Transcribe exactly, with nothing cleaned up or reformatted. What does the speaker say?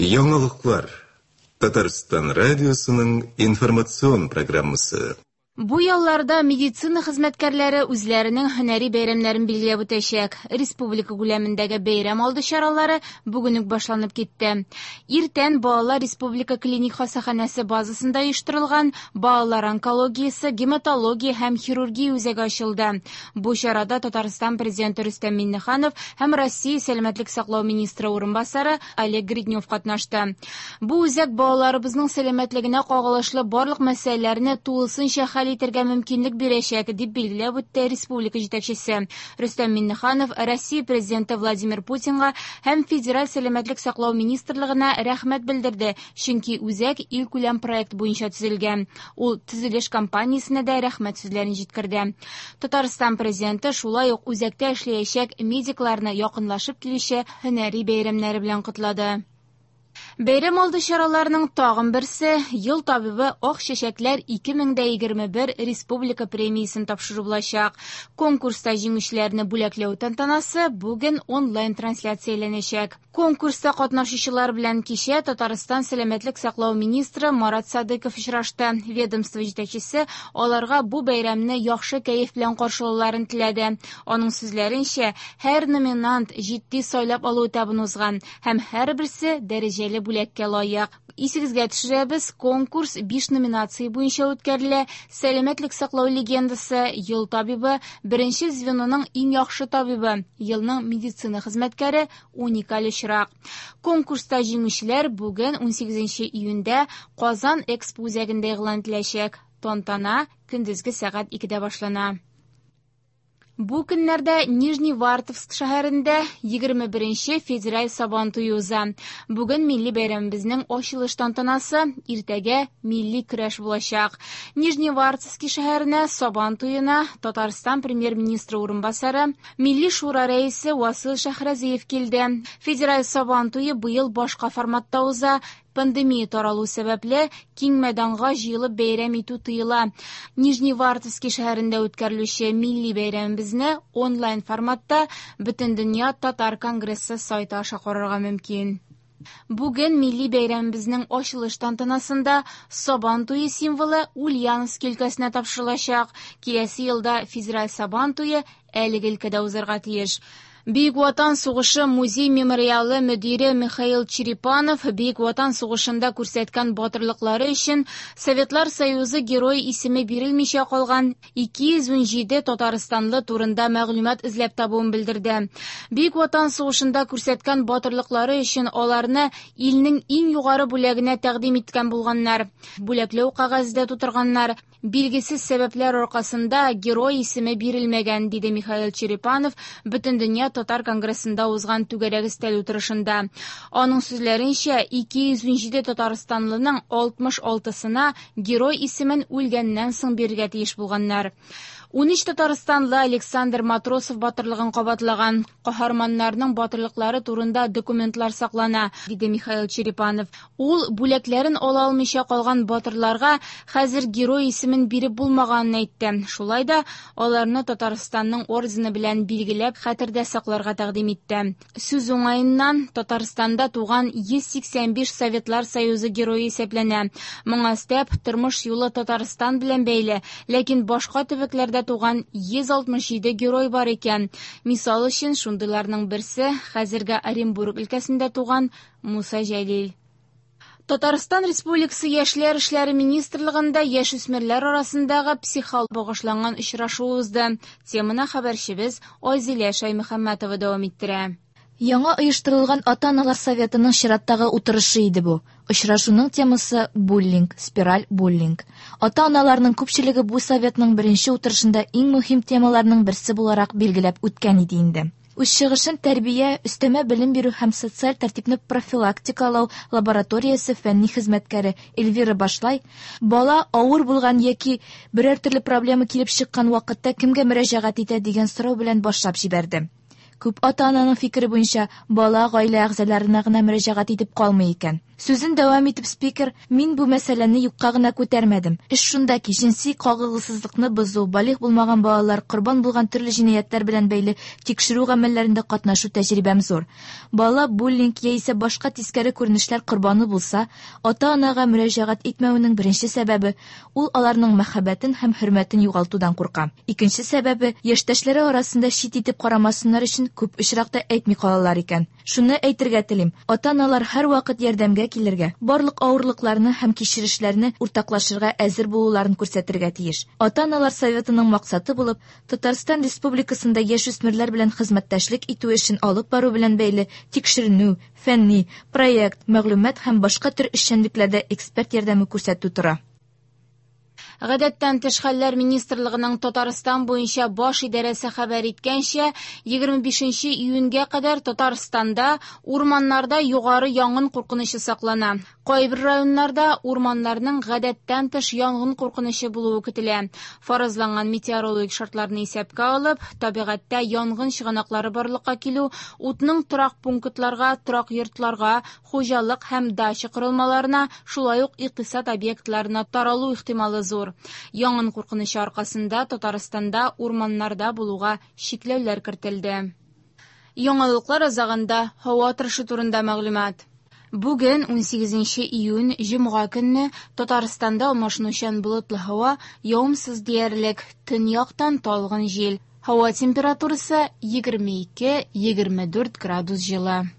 Яңалыклар. Татарстан радиосының информацион программасы. Бу ялларда медицина хезмәткәрләре үзләренең һөнәри бәйрәмнәрен билгеләп үтәчәк. Республика күләмендәге бәйрәм алды чаралары бүген үк башланып китте. Иртән балалар республика клиник хастаханәсе базасында оештырылган балалар онкологиясе, гематология һәм хирургия үзәге ачылды. Бу чарада Татарстан президенты Рөстәм Миңнеханов һәм Россия сәламәтлек саклау министры урынбасары Олег Гриднев катнашты. Бу үзәк балаларыбызның сәламәтлегенә кагылышлы барлык мәсьәләләрне тулысынча хәл итәргә мөмкинлек бирәчәк, дип билгеләп үтте республика җитәкчесе. Рөстәм Миңнеханов Россия президенты Владимир Путинга һәм Федераль сәламәтлек саклау министрлыгына рәхмәт белдерде, чөнки үзәк илкүләм проект буенча төзелгән. Ул төзелеш компаниясенә дә рәхмәт сүзләрен җиткерде. Татарстан президенты шулай ук үзәктә эшләячәк медикларны якынлашып килүче һөнәри бәйрәмнәре белән котлады. Бәйрәм алды чараларының тагын берсе «Ел табибы Ак чәчәкләр ике мең дә егерме бер» республика премиясен тапшыру булачак. Конкурста җиңүчеләрне бүләкләү тантанасы бүген онлайн трансляцияләнәчәк. Конкурста катнашучылар белән кичә Татарстан сәламәтлек саклау министры Марат Садыков очрашты. Ведомство җитәкчесе аларга бу бәйрәмне яхшы кәеф белән каршылауларын теләде. Аның сүзләренчә, һәр номинант җитди сайлап алу этабын узган һәм һәрберсе дәрәҗәле бүләккә лаек. Исегезгә төшерәбез, конкурс биш номинация буенча үткәрелә. Сәламәтлек саклау легендасы, ел табибы, беренче звеноның иң яхшы табибы, елның медицина хезмәткәре, уникаль очрак. Конкурста җиңүчеләр бүген унсигезенче июньдә Казан Экспо үзәгендә игълан ителәчәк. Тантана көндезге сәгать икедә башлана. Бу көннәрдә Нижневартовск шәһәрендә егерме беренче федераль Сабан туе уза. Бүген милли бәйрәмебезнең ачылыш тантанасы, иртәгә милли көрәш булачак. Нижневартовский шәһәренә Сабан туена Татарстан премьер-министры урынбасары, Милли шура рәисе Васил Шәһрәзиев килде. Федераль Сабан туе быел башка форматта уза. Пандемия таралу сәбәпле киң мәйданга җыелып бәйрәм итү тыела. Нижневартовский шәһәрендә үткәрелүче милли бәйрәмебезне онлайн форматта Бөтендөнья татар конгрессы сайты аша карарга мөмкин. Бүген милли бәйрәмебезнең ачылыш тантанасында Сабан туе символы Ульяновск өлкәсенә тапшырылачак. Киләсе елда федераль Сабан туе әлеге өлкәдә узарга тиеш. Бөек Ватан сугышы музей-мемориалы мөдире Михаил Черепанов Бөек Ватан сугышында күрсәткән батырлыклары өчен Советлар Союзы герой исеме бирелмичә калган ике йөз унҗиде татарстанлы турында мәгълүмат эзләп табуын белдерде. Бөек Ватан сугышында күрсәткән батырлыклары өчен аларны илнең иң югары бүләгенә тәкъдим иткән булганнар. Бүләкләү кәгазе дә тутырганнар. Билгесез сәбәпләр аркасында герой исеме бирелмәгән, диде Михаил Черепанов Бөтендөнья татар конгрессында узган түгәрәк өстәл утырышында. Аның сүзләренчә, ике йөз унҗиде татарстанлының алтмыш алтысына герой исемен үлгәннән соң бирергә тиеш булганнар. Унөч татарстанлы Александр Матросов батырлыгын кабатлаган. Каһарманнарның батырлыклары турында документлар саклана, диде Михаил Черепанов. Ул бүләкләрен ала алмыйча калган батырларга хәзер герой исемен биреп булмаганын әйтте. Шулай да аларны Татарстанның ордены белән билгеләп хәтердә сакларга тәкъдим итте. Сүз уңаеннан, Татарстанда туган йөз сиксән биш Советлар Союзы герое исәпләнә. Моңа өстәп, тормыш юлы Татарстан белән бәйле, ләкин башка төбәкләрдә туган йөз алтмыш җиде герой бар икән. Мисал өчен, шундыйларның берсе хәзерге Оренбург өлкәсендә туган Муса Җәлил. Татарстан Республикасы Яшьләр эшләре министрлыгында яшүсмерләр арасындагы психолог багышланган очрашу узды. Теманы хәбәрчебез Айзилә Шаймөхәммәтова дәвам иттерә. Яңа оештырылган ата-аналар советының чираттагы утырышы иде бу. Очрашуның темасы буллинг, спираль буллинг. Ата-аналарның күпчелеге бу советның беренче утырышында иң мөһим темаларның берсе буларак билгеләп үткән иде инде. Үз чыгышын тәрбия, өстәмә белем бирү һәм социаль тәртипне профилактикалау лабораториясе фәнни хезмәткәре Эльвира Башлай бала авыр булган яки берәр төрле проблема килеп чыккан вакытта кемгә мөрәҗәгать итә дигән сорау белән башлап җибәрде. Күп ата-ананың фикере буенча, бала гаилә әгъзаларына гына мөрәҗәгать итеп калмый икән. Сүзен дәвам итеп спикер, мин бу мәсьәләне юкка гына күтәрмәдем. Эш шунда ки, җенси кагылгысызлыкны бозу, балигъ булмаган балалар корбан булган төрле җинаятьләр белән бәйле тикшерү гамәлләрендә катнашу тәҗрибәм зур. Бала буллинг яисә башка тискәре күренешләр корбаны булса, ата-анага мөрәҗәгать итмәвенең беренче сәбәбе ул аларның мәхәббәтен һәм хөрмәтен югалтудан курка. Икенче сәбәбе яшьтәшләре арасында чит итеп карамасыннар өчен күп очракта әйтми калалар икән. Шуны әйтергә телим, ата-аналар һәрвакыт ярдәмгә килергә, барлык авырлыкларны һәм кичерешләрне уртаклашырга әзер булуларын күрсәтергә тиеш. Ата-аналар советының максаты булып, Татарстан Республикасында яшүсмерләр белән хезмәттәшлек итү эшен алып бару белән бәйле тикшеренү, фәнни, проект, мәгълүмат һәм башка төр эшчәнлекләрдә эксперт ярдәме күрсәтү тора. Гадәттән тыш хәлләр министрлыгының Татарстан буенча баш идарәсе хәбәр иткәнчә, егерме бишенче июньгә кадәр Татарстанда урманнарда югары янгын куркынычы саклана. Кайбер районнарда урманнарның гадәттән тыш янгын куркынычы булуы көтелә. Фаразланган метеорологик шартларны исәпкә алып, табигатьтә янгын чыганаклары барлыкка килү, утның торак пунктларга, торак йортларга, хуҗалык һәм дача корылмаларына, шулай ук икътисад объектларына таралу ихтималы зур. Янгын куркынычы аркасында Татарстанда урманнарда булуга чикләүләр кертелде. Яңалыклар азагында һава торышы турында мәгълүмат. Бүген унсигезенче июнь җомга көнне Татарстанда алмашынучан болытлы һава, явымсыз диярлек, төньяктан талгын җил. Һава температурасы егерме ике-егерме дүрт градус җылы.